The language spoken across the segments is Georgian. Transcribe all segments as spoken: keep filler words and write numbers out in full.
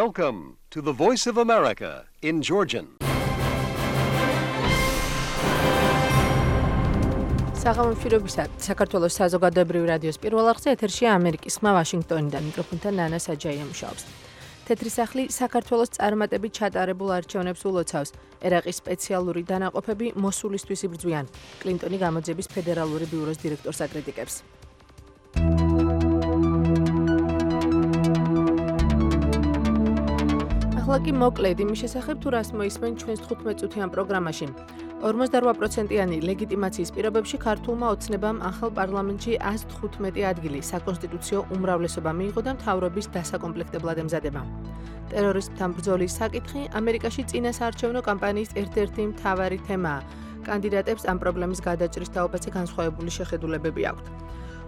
Welcome to the Voice of America in Georgian. საღამომშვიდობისა, საქართველოს საზოგადოებრივი რადიოს პირველ არხზე ეთერშია ამერიკის ხმა ვაშინგტონიდან, მიკროფონთან ნანა საჯაია მუშაობს. თეთრი სახლი საქართველოს წარმატებით ჩატარებულ არჩევნებს ულოცავს. ერაყის სპეციალური დანაყოფები მოსულისთვის იბრძვიან. კლინტონი გამოძიების ფედერალური ბიუროს დირექტორს აკრიტიკებს. ახლა კი მოკლედ იმის შესახებ, თუ რას მოისმენ ჩვენს თხუთმეტ წუთიან პროგრამაში. ორმოცდარვა პროცენტიანი ლეგიტიმაციის პირობებში ქართულმა ოცნებამ ახალ პარლამენტში ას თხუთმეტი ადგილი საკონსტიტუციო უმრავლესობა მიიღო და მთავრობის დასაკომპლექტებლად ემზადება. ტერორიზმთან ბრძოლის საკითხი ამერიკაში წინასაარჩევნო კამპანიის ერთ-ერთი მთავარი თემაა. კანდიდატებს ამ პრობლემის გადაჭრის თაობაზე განსხვავებული შეხედულებები აქვთ.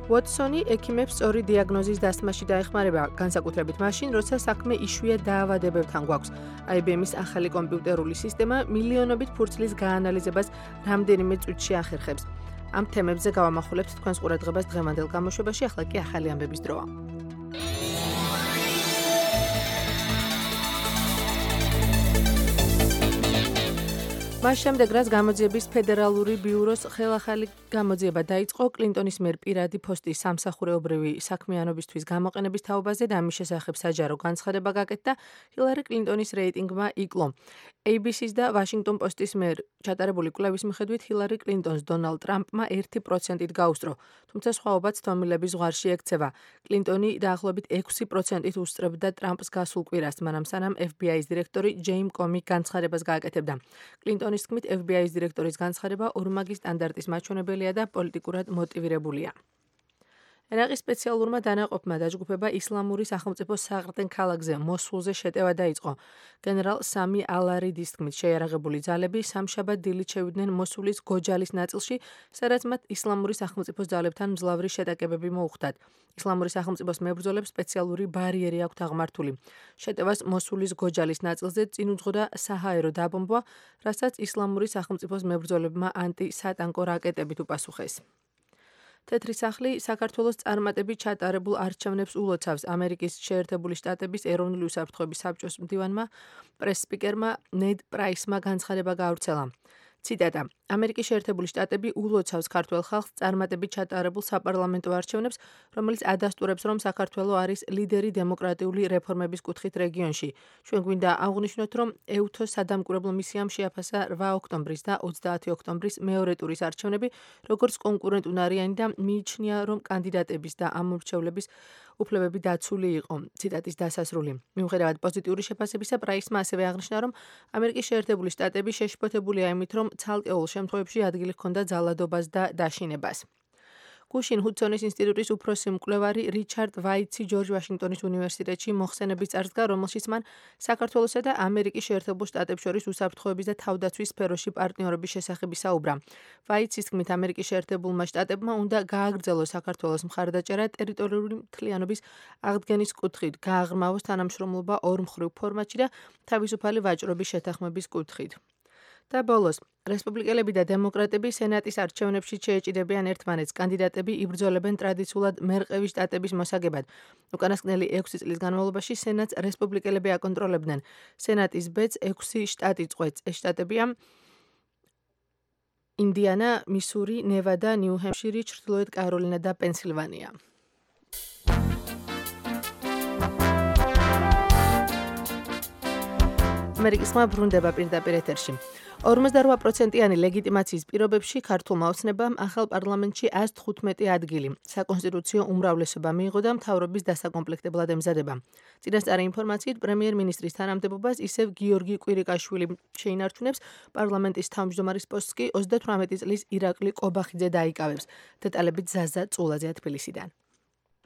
ვოტსონი ექიმებს სწორი დიაგნოზის დასმაში დაეხმარება, განსაკუთრებით მაშინ, როცა საქმე იშვიათ დაავადებებთან გვაქვს. აი ბი ემის ახალი კომპიუტერული სისტემა მილიონობით ფურცლის გაანალიზებას რამდენიმე წუთში ახერხებს. ამ თემებზე გავამახვილებთ თქვენს ყურადღებას დღევანდელ გამოშვებაში, ახლა კი ახალი ამბების დროა. მას შემდეგ, რაც გამოძიების ფედერალური ბიუროს ხელახალი გამოძიება დაიწყო კლინტონის მიერ პირადი ფოსტის სამსახურეობრივი საქმიანობისთვის გამოყენების თაობაზე და ამის შესახებ საჯარო განცხადება გაკეთდა, ჰილარი კლინტონის რეიტინგმა იკლო. ეი ბი სის და ვაშინგტონ პოსტის მიერ ჩატარებული კვლევის მიხედვით ჰილარი კლინტონს დონალდ ტრამპმა ერთი პროცენტით გაუსწრო, თუმცა სხვაობაც თომილების ზღვარში ექცევა. კლინტონი დაახლოებით ექვსი პროცენტით უსწრებდა ტრამპს გასულ კვირას, მანამ სანამ ეფ ბი აის დირექტორი ჯეიმ კომი განცხადებას გააკეთებდა. კლინტონის თქმით, ეფ ბი აის დირექტორის განცხადება ორმაგი სტანდარტის მაჩვენებელია და პოლიტიკურად მოტივირებულია. ერაყის სპეციალურმა დანაყოფმა დაჯგუფება ისლამური სახელმწიფოს საყრდენ ქალაქზე მოსულზე შეტევა დაიწყო. გენერალ სამი ალარიდის თქმით, შეიარაღებული ძალები სამშაბათ დილით შევიდნენ მოსულის გოჯალის ნაწილში, სადაც მათ ისლამური სახელმწიფოს ძალებთან მძლავრი შეტაკებები მოუხდათ. ისლამური სახელმწიფოს მებრძოლებს სპეციალური ბარიერი აქვთ აღმართული. შეტევას მოსულის გოჯალის ნაწილზე წინ უძღოდა საჰაერო დაბომბვა, რასაც ისლამური სახელმწიფოს მებრძოლებმა ანტი-სატანკო რაკეტებით უპასუხეს. თეთრი სახლი საქართველოს წარმატებით ჩატარებულ არჩევნებს ულოცავს. ამერიკის შეერთებული შტატების ეროვნული უსაფრთხოების საბჭოს მდივანმა პრეს-სპიკერმა ნედ პრაისმა განცხადება გაავრცელა. ციტატა: ამერიკის შეერთებული შტატები ულოცავს ქართველ ხალხს წარმატებით ჩატარებულ საპარლამენტო არჩევნებს, რომელიც ადასტურებს, რომ საქართველო არის ლიდერი დემოკრატიული რეფორმების კუთხით რეგიონში. ჩვენ გვინდა აღვნიშნოთ, რომ ეუთოს სადამკვირვებლო მისიამ შეაფასა რვა ოქტომბრის და ოცდაათი ოქტომბრის მეორე ტურის არჩევნები, როგორც კონკურენტუნარიანი და მიიჩნია, რომ კანდიდატების და ამორჩევლების უფლებები დაცული იყო. ციტატის დასასრული. მიუხედავად პოზიტიური შეფასებისა, პრაისმა ასევე აღნიშნა, რომ ამერიკის შეერთებული შტატები შეშფოთებულია იმით, რომ ცალკეულ შემთხვევებში ადგილი ჰქონდა ძალადობას და დაშინებას. გუშინ ჰუდსონის ინსტიტუტის უფროსი მკვლევარი რიჩარდ ვაიტსი ჯორჯ ვაშინგტონის უნივერსიტეტში მოხსენების წარსდგა, რომელშიც მან საქართველოსა და ამერიკის შეერთებულ შტატებს შორის უსაფრთხოების და თავდაცვის სფეროში პარტნიორობის შესახებ ისაუბრა. ვაიტსის თქმით, ამერიკის შეერთებულმა შტატებმა უნდა გააგრძელოს საქართველოს მხარდაჭერა ტერიტორიული მთლიანობის აღდგენის კუთხით, გააღრმავოს თანამშრომლობა ორმხრივ ფორმატში და თავისუფალი ვაჭრობის შეთანხმების კუთხით. და ბოლოს, რესპუბლიკელები და დემოკრატები სენატის არჩევნებში შეეჭიდებიან ერთმანეთს. კანდიდატები იბრძოლებენ ტრადიციულად მერყევი შტატების მოსაგებად. უკანასკნელი ექვსი წლის განმავლობაში სენატს რესპუბლიკელები აკონტროლებდნენ. სენატის ბედს ექვსი შტატი წყვეტს. ეს შტატებია ინდიანა, მისური, ნევადა, ნიუ-ჰემპშირი, ჩრდილოეთ კაროლინა და პენსილვანია. ამერიკის ხმა ბრუნდება პირდაპირ ეთერში. ორმოცდარვა პროცენტიანი ლეგიტიმაციის პირობებში ქართულმა ოცნებამ ახალ პარლამენტში ას თხუთმეტი ადგილი საკონსტიტუციო უმრავლესობა მიიღო და მთავრობის დასაკომპლექტებლად ემზადება. წინასწარი ინფორმაციით, პრემიერ-მინისტრის თანამდებობას ისევ გიორგი კვირიკაშვილი შეინარჩუნებს, პარლამენტის თავმჯდომარის პოსტს კი ოცდათვრამეტი წლის ირაკლი კობახიძე დაიკავებს. დეტალებით ზაზა წულაძე თბილისიდან.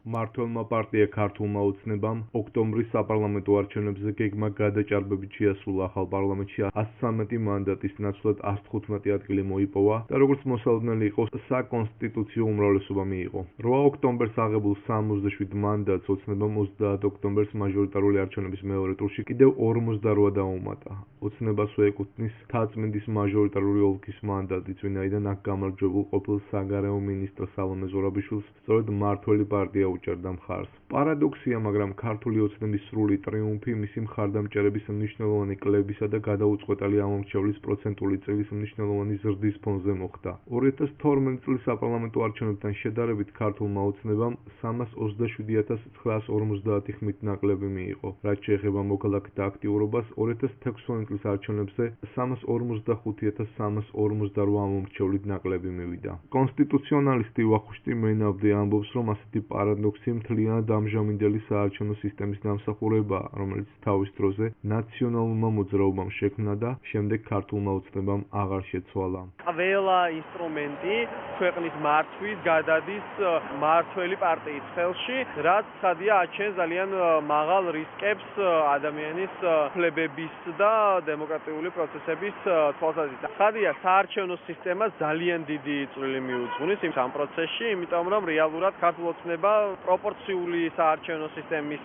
მმართველმა პარტია ქართულმა ოცნებამ ოქტომბრის საპარლამენტო არჩევნებზე გეგმა გადაჭარბებით შეასრულა ახალ პარლამენტში ას ცხრამეტი მანდატის ნაცვლად ას თხუთმეტი ადგილი მოიპოვა და როგორც მოსალოდნელი იყო საკონსტიტუციო უმრავლესობა მიიღო. რვა ოქტომბერს აღებულ სამოცდაშვიდ მანდატს ოცნებამ ოცდაათ ოქტომბერს მაჟორიტარული არჩევნების მეორე ტურში კიდევ ორმოცდარვა დაუმატა. ოცნებას ეკუთვნის თაწმინდის მაჟორიტარული ოლქის მანდატიც, ვინაიდან აქ გამარჯვებულ ყოფილ საგარეო მინისტრ სალომე ზურაბიშვილს სწორედ მმართველი პარტია უჭერდა მხარს. პარადოქსია, მაგრამ ქართული ოცნების სრული ტრიუმფი მისი მხარდამჭერების მნიშვნელოვანი კლებისა და გადაუწყვეტელი ამომრჩევლის პროცენტული წილის მნიშვნელოვანი ზრდის ფონზე მოხდა. ორი ათას თორმეტი წლის საპარლამენტო არჩევნებთან შედარებით ქართულმა ოცნებამ სამას ოცდაშვიდი ათას ცხრაას ორმოცდაათი ხმით ნაკლები მიიღო. რაც შეეხება მოქალაქეთა აქტიურობას, ორი ათას თექვსმეტი წლის არჩევნებზე სამას ორმოცდახუთი ათას სამას ორმოცდარვა ამომრჩევლით ნაკლები მივიდა. კონსტიტუციონალისტი ვახუშტი მენაბდი ამბობს, რომ ასეთი პარადოქსი მთლიანად ამჟამინდელი საარჩევნო სისტემის დამსახურებაა, რომელიც თავის დროზე ნაციონალურმა მოძრაობამ შექმნა და შემდეგ ქართულმა ოცნებამ აღარ შეცვალა. ყველა ინსტრუმენტი ქვეყნის მართვის გადადის მმართველი პარტიის ხელში, რაც ცხადია აჩენს ძალიან მაღალ რისკებს ადამიანის უფლებების და დემოკრატიული პროცესების თვალსაზრისით. ცხადია, საარჩევნო სისტემა ძალიან დიდი წვლილი მიუძღვნის იმ სამ პროცესში, იმიტომ რომ რეალურად ქართულ ოცნება პროპორციული საარჩევნო სისტემის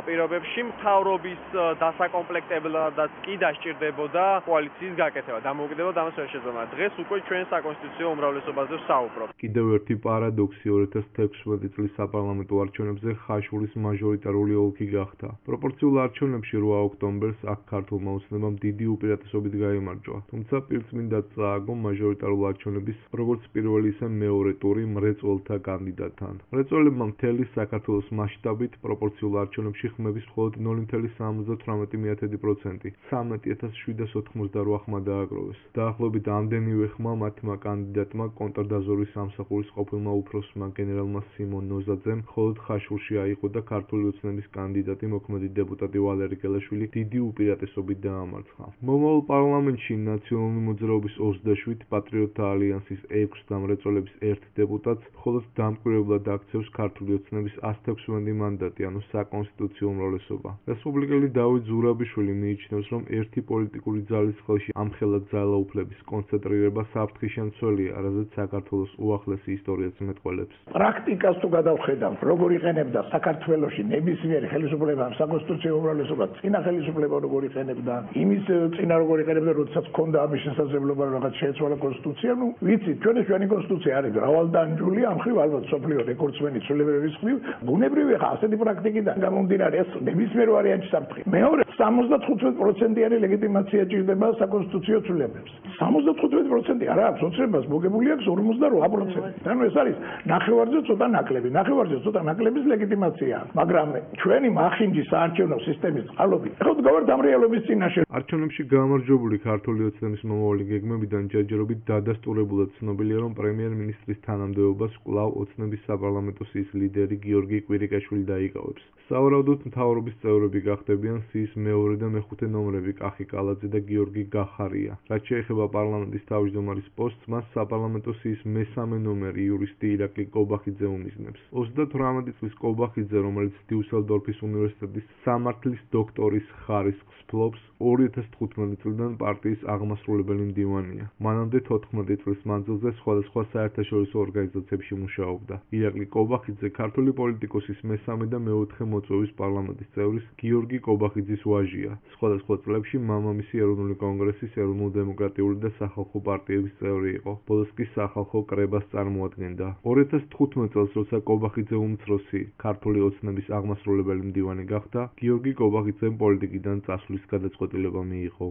პირობებში მთავრობის დასაკომპლექტებლადაც კი დასჭირდებოდა კოალიციის გაკეთება. დამოუკიდებლად ამას ვერ შეძლებდა. დღეს უკვე ჩვენ საკონსტიტუციო უმრავლესობაზე ვსაუბრობთ. კიდევ ერთი პარადოქსი ორი ათას თექვსმეტი წლის საპარლამენტო არჩევნებზე ხაშურის მაჟორიტარული ოლქი გახდა. პროპორციულ არჩევნებში რვა ოქტომბერს აქ ქართულმა ოცნებამ დიდი უპირატესობით გაიმარჯვა. თუმცა პირწმინდად წააგო მაჟორიტარულ არჩევნების როგორც პირველი ისე მეორე ტური მრეწველთა კანდიდატთან. მრეწველებმა მთელი საქართველოს მასშტაბით პროპორციულ არჩევნებში ხმების მხოლოდ ნული virgulă სამოცდათვრამეტი პროცენტი, ცხრამეტი ათას შვიდას ოთხმოცდარვა ხმა დააგროვეს. დაახლოებით ამდენივე ხმა მათმა კანდიდატმა კონტრდაზვერვის სამსახურის ყოფილმა უფროსმა გენერალმა სიმონ ნოზაძემ მხოლოდ ხაშურში აიღო და ქართული ოცნების კანდიდატი მოქმედი დეპუტატი ვალერი გელაშვილი დიდი უპირატესობით დაამარცხა. მომავალ პარლამენტში ნაციონალური მოძრაობის ოცდაშვიდ, პატრიოტთა ალიანსის ექვს და მრეწველების ერთ დეპუტატს მხოლოდ დამკვირვებლად აქცევს ქართული ოცნების ას თექვსმეტი მანდატი, ანუ საკონსტიტუციო უმრავლესობა. რესპუბლიკელი დავით ზურაბიშვილი მიიჩნევს, რომ ერთი პოლიტიკური ძალის ხელში ამხელა ძალაუფლების კონცენტრირება საფრთხის მცველია, რაზეც საქართველოს უახლესი ისტორიაც მეტყველებს. პრაქტიკას თუ გადავხედავთ, როგორ იყენებდა საქართველოში ნებისმიერი ხელისუფლება საკონსტიტუციო უმრავლესობა, წინა ხელისუფლება როგორ იყენებდა, იმის წინა როგორ იყენებდა, როდესაც ჰქონდა ამის შესაძლებლობა რაღაც შეეცვალა კონსტიტუცია, ну, ვიცით, ჩვენი ჩვენი კონსტიტუცია არის მრავალდანჯული, ამ ხრივ ალბათ სოფლიო რეკორდსმენი ცვლილებების ხრივ, ბუნებრივი ხა ასეთი პრაქტიკიდან გამომდინარე ეს ნებისმიერ ვარიანტში საფრთხე. მეორე, სამოცდათხუთმეტი პროცენტიანი ლეგიტიმაცია ჭირდება საკონსტიტუციო ცვლილებებს. სამოცდათხუთმეტი პროცენტი არა აქვს ოცნებას, მოგებული აქვს ორმოცდარვა პროცენტი. ანუ ეს არის ნახევარზე ცოტა ნაკლები, ნახევარზე ცოტა ნაკლების ლეგიტიმაცია. მაგრამ ჩვენი მახინჯი საარჩევნო სისტემის წყალობით, ხო გავართ ამ რეალობის წინაშე. არჩევნებში გამარჯვებული ქართული ოცნების მომავალი გეგმებიდან ჯერჯერობით დადასტურებულად ცნობილია, რომ პრემიერ-მინისტრის თანამდებობას კვლავ ოცნების საპარლამენტო სიის ლიდერი გიორგი კვირიკაშვილი დაიკავებს. სავარაუდოდ მთავრობის წევრები გახდებიან სიის მეორე და მეხუთე ნომრები კახი კალაძე და გიორგი გახარია. რაც შეეხება პარლამენტის თავმჯდომარის პოსტს, მას საპარლამენტო სიის მესამე ნომერი იურისტი ირაკლი კობახიძე უმიზნებს. ოცდათვრამეტი წლის კობახიძე, რომელიც დიუსელდორფის უნივერსიტეტის სამართლის დოქტორის ხარისხს ფლობს, ორი ათას თხუთმეტი წლიდან პარტიის აღმასრულებელი მდივანია. მანამდე თოთხმეტი წლის მანძილზე სხვადასხვა საერთაშორისო ორგანიზაციებში მუშაობდა. ირაკლი კობახიძე ქართული პოლიტიკოსის მესამე და მეოთხე მოწვევის პარლამენტის წევრის გიორგი კობახიძის ვაჟია. სხვადასხვა წლებში მამამისი ეროვნული კონგრესის, ეროვნულ-დემოკრატიული და სახალხო პარტიების წევრი იყო. ბოლოს კი სახალხო კრებას წარმოადგენდა. ორი ათას თხუთმეტი წელს, როცა კობახიძე უმცროსი ქართული ოცნების აღმასრულებელი მდივანი გახდა, გიორგი კობახიძემ პოლიტიკიდან წასვლის გადაწყვეტილება მიიღო.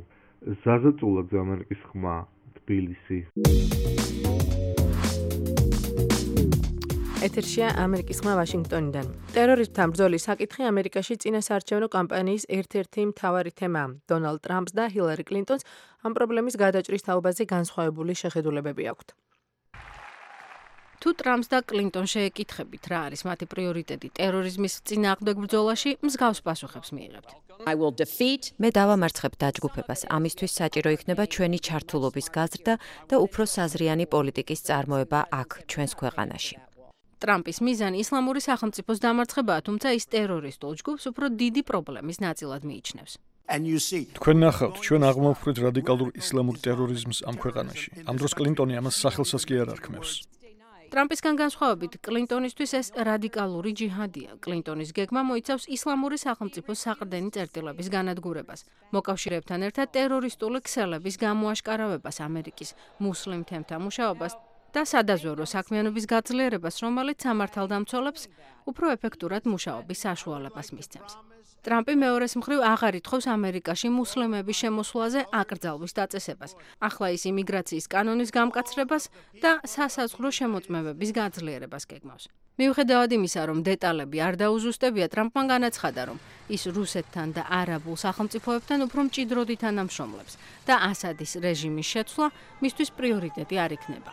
ზაზა წულაძე, ამერიკის ხმა, თბილისი. ეთერშია ამერიკის ხმა ვაშინგტონიდან. ტერორიზმთან ბრძოლის საკითხი ამერიკაში წინასაარჩევნო კამპანიის ერთ-ერთი მთავარი თემაა. დონალდ ტრამპს და ჰილარი კლინტონს ამ პრობლემის გადაჭრის თაობაზე განსხვავებული შეხედულებები აქვთ. თუ ტრამპს და კლინტონს შეეკითხებით, რა არის მათი პრიორიტეტი ტერორიზმის წინააღმდეგ ბრძოლაში, მსგავს პასუხებს მიიღებთ. მე დავამარცხებ დაჯგუფებას. ამისთვის საჭირო იქნება ჩვენი ჩართულობის გაზრდა და უფრო საზრიანი პოლიტიკის წარმოება აქ, ჩვენს ქვეყანაში. ტრამპის მიზანი ისლამური სახელმწიფოს დამარცხებაა, თუმცა ის ტერორისტულ ჯგუფს უფრო დიდი პრობლემის ნაწილად მიიჩნევს. თქვენ ნახავთ, ჩვენ აღმოვხვრით რადიკალურ ისლამურ ტერორიზმს ამ ქვეყანაში. ამ დროს კლინტონი ამას სახელსაც კი არ არქმევს. ტრამპისგან განსხვავებით, კლინტონისთვის ეს რადიკალური ჯიჰადია. კლინტონის გეგმა მოიცავს ისლამური სახელმწიფოს საყრდენი წერტილების განადგურებას, მოკავშირეებთან ერთად ტერორისტული ქსელების გამოაშკარავებას, ამერიკის მუსლიმ თემთა მუშაობას და სადაზვერვო საქმიანობის გაძლიერებას, რომელიც სამართალდამცველებს უფრო ეფექტურად მუშაობის საშუალებას მისცემს. ტრამპი მეორეს მხრივ აღარ ითხოვს ამერიკაში მუსლიმების შემოსვლაზე აკრძალვის დაწესებას, ახლა ის იმიგრაციის კანონის გამკაცრებას და სასაზღვრო შემოწმებების გაძლიერებას გეგმავს. მიუხედავად იმისა, რომ დეტალები არ დაუზუსტებია, ტრამპმა განაცხადა, რომ ის რუსეთთან და არაბულ სახელმწიფოებთან უფრო მჭიდროდ ითანამშრომლებს და ასადის რეჟიმის შეცვლა მისთვის პრიორიტეტი არ იქნება.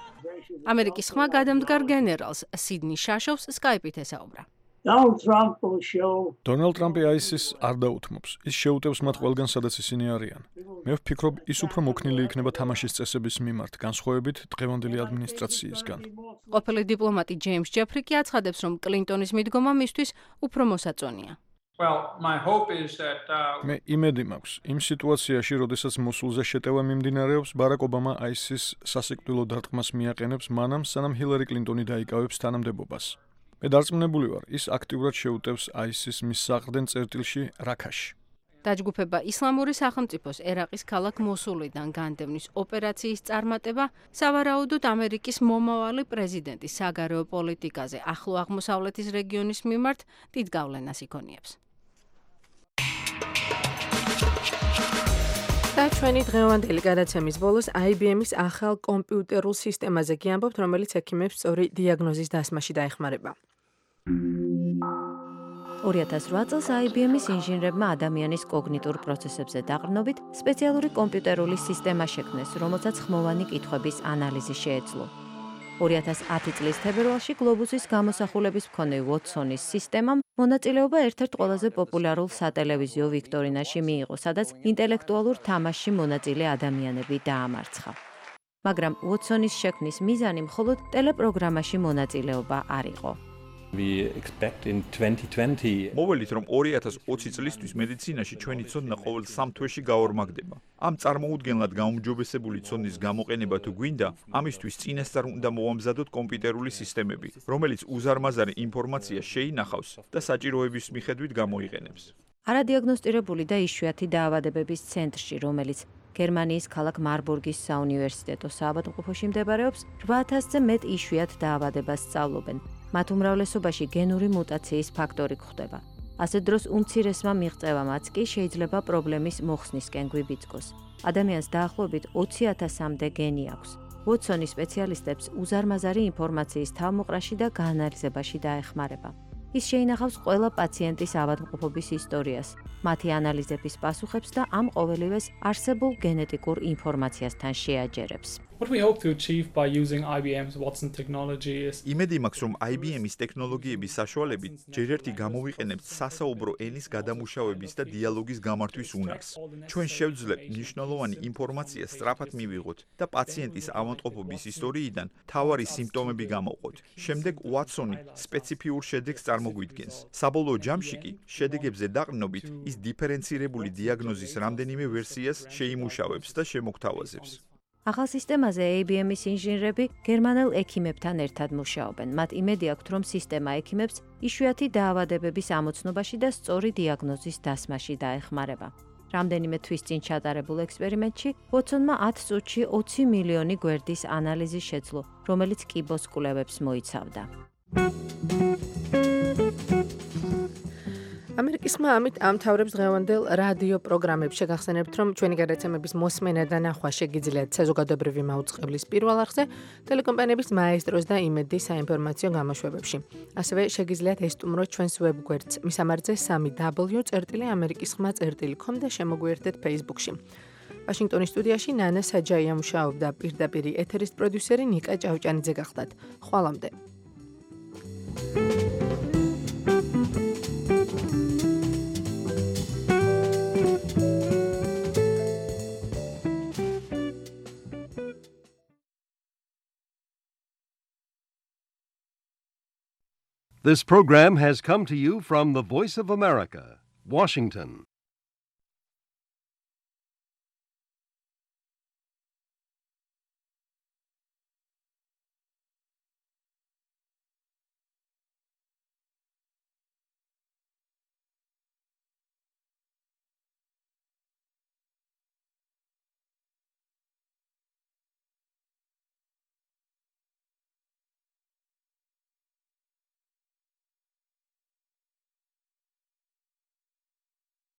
ამერიკის ხმა გადამდგარ გენერალს სიდნი შაშოვს სკაიპით ესაუბრა. დონალდ ტრამპი აისის არ დაუთმობს. ის შეუტევს მათ ყველგან, სადაც ისინი არიან. მე ვფიქრობ, ის უფრო მოქნილი იქნება თამაშის წესების მიმართ, განსხვავებით დღევანდელი ადმინისტრაციისგან. ყოფილი დიპლომატი ჯეიმს ჯეფრი კი აცხადებს, რომ კლინტონის მიდგომა მისთვის უფრო მოსაწონია. მე იმედი მაქვს, იმ სიტუაციაში, როდესაც მოსულზე შეტევა მიმდინარეობს, ბარაკ ობამა აისის სასიკვდილო დარტყმას მიაყენებს, მანამ სანამ ჰილარი კლინტონი დაიკავებს თანამდებობას. მე დარწმუნებული ვარ, ის აქტიურად შეუტევს აისის მის საყრდენ წერტილში რაქაში. დაჯგუფება ისლამური სახელმწიფოს ერაყის ქალაქ მოსულიდან განდევნის ოპერაციის წარმატება სავარაუდოდ ამერიკის მომავალი პრეზიდენტის საგარეო პოლიტიკაზე ახლო აღმოსავლეთის რეგიონის მიმართ დიდ გავლენას იქონიებს. და ჩვენი დღევანდელი გადაცემის ბოლოს აი ბი ემის ახალ კომპიუტერულ სისტემაზე გიამბობთ, რომელიც ექიმებს სწორი დიაგნოზის დასმაში დაეხმარება. ორი ათას რვა წელს აი ბი ემის ინჟინრებმა ადამიანის კოგნიტურ პროცესებზე დაყრდნობით სპეციალური კომპიუტერული სისტემა შექმნეს, რომელსაც ხმოვანი კითხვების ანალიზი შეეძლო. ორი ათას ათი წლის თებერვალში გლობუსის გამოსახულების მქონე ვოტსონის სისტემამ მონაწილეობა ერთ-ერთ ყველაზე პოპულარულ სატელევიზიო ვიქტორინაში მიიღო, სადაც ინტელექტუალურ თამაშში მონაწილე ადამიანები დაამარცხა. მაგრამ ვოტსონის შექმნის მიზანი მხოლოდ ტელეპროგრამაში მონაწილეობა არ იყო. მოველით, რომ ორი ათას ოცი წლისთვის მედიცინაში ჩვენი ცოდნა ყოველ სამ თვეში გაორმაგდება. ამ წარმოუდგენლად გაუმჯობესებული ცოდნის გამოყენება თუ გვინდა, ამისთვის წინასწარ უნდა მოვამზადოთ კომპიუტერული სისტემები, რომელიც უზარმაზარი ინფორმაცია შეინახავს და საჭიროების მიხედვით გამოიყენებს. არადიაგნოსტირებული და იშვიათი დაავადებების ცენტრში, რომელიც გერმანიის ქალაქ მარბურგის საუნივერსიტეტო საავადმყოფოში მდებარეობს, რვა ათასზე მეტ იშვიათ დაავადებას სწავლობენ. მათ უმრავლესობაში გენური მუტაციის ფაქტორი გვხვდება. ასეთ დროს უმცირესმა მიღწევამაც კი შეიძლება პრობლემის მოხსნისკენ გვიბიძგოს. ადამიანს დაახლოებით ოცი ათასამდე გენი აქვს. ვოტსონი სპეციალისტებს უზარმაზარი ინფორმაციის თავმოყრაში და გაანალიზებაში დაეხმარება. ის შეინახავს ყველა პაციენტის ავადმყოფობის ისტორიას, მათი ანალიზების პასუხებს და ამ ყოველივეს არსებულ გენეტიკურ ინფორმაციასთან შეაჯერებს. იმედი მაქვს, რომ აი ბი ემის ტექნოლოგიების საშუალებით ჯერ ერთი გამოვიყენებთ სასაუბრო ენის გადამუშავების და დიალოგის გამართვის უნარს. ჩვენ შევძლებთ მნიშვნელოვანი ინფორმაცია სწრაფად მივიღოთ და პაციენტის ავადმყოფობის ისტორიიდან მთავარი სიმპტომები გამოვყოთ. შემდეგ ვატსონი სპეციფიურ შედეგს წარმოგვიდგენს. საბოლოო ჯამში კი შედეგებზე დაყრდნობით ის დიფერენცირებული დიაგნოზის რამდენიმე ვერსიას შეიმუშავებს და შემოგთავაზებს. ახალ სისტემაზე ეი ბი ემის ინჟინრები გერმანელ ექიმებთან ერთად მუშაობენ. მათ იმედი აქვთ, რომ სისტემა ექიმებს იშვიათი დაავადებების ამოცნობაში და სწორი დიაგნოზის დასმაში დაეხმარება. რამდენიმე თვის წინ ჩატარებულ ექსპერიმენტში ვოტსონმა ათ წუთში ოცი მილიონი გვერდის ანალიზი შეძლო, რომელიც კიბოს კვლევებს მოიცავდა. ამერიკის ხმა ამით ამთავრებს დღევანდელ რადიო პროგრამებს. შეგახსენებთ, რომ ჩვენი გადაცემების მოსმენა და ნახვა შეგიძლიათ საზოგადოებრივი მაუწყებლის პირველ არხზე, ტელეკომპანიების მაესტროს და იმედი საინფორმაციო გამოშვებებში. ასევე შეგიძლიათ ესტუმროთ ჩვენს ვებგვერდს მისამართზე სამი დაბლიუ წერტილი ამერიკის ხმა წერტილი კომ და შემოგვიერთდეთ Facebook-ში. ვაშინგტონის სტუდიაში ნანა საჯაია მუშაობდა, პირდაპირ ეთერის პროდიუსერი ნიკა ჭავჭანიძე გახდათ. ხვალამდე. This program has come to you from the Voice of America, Washington.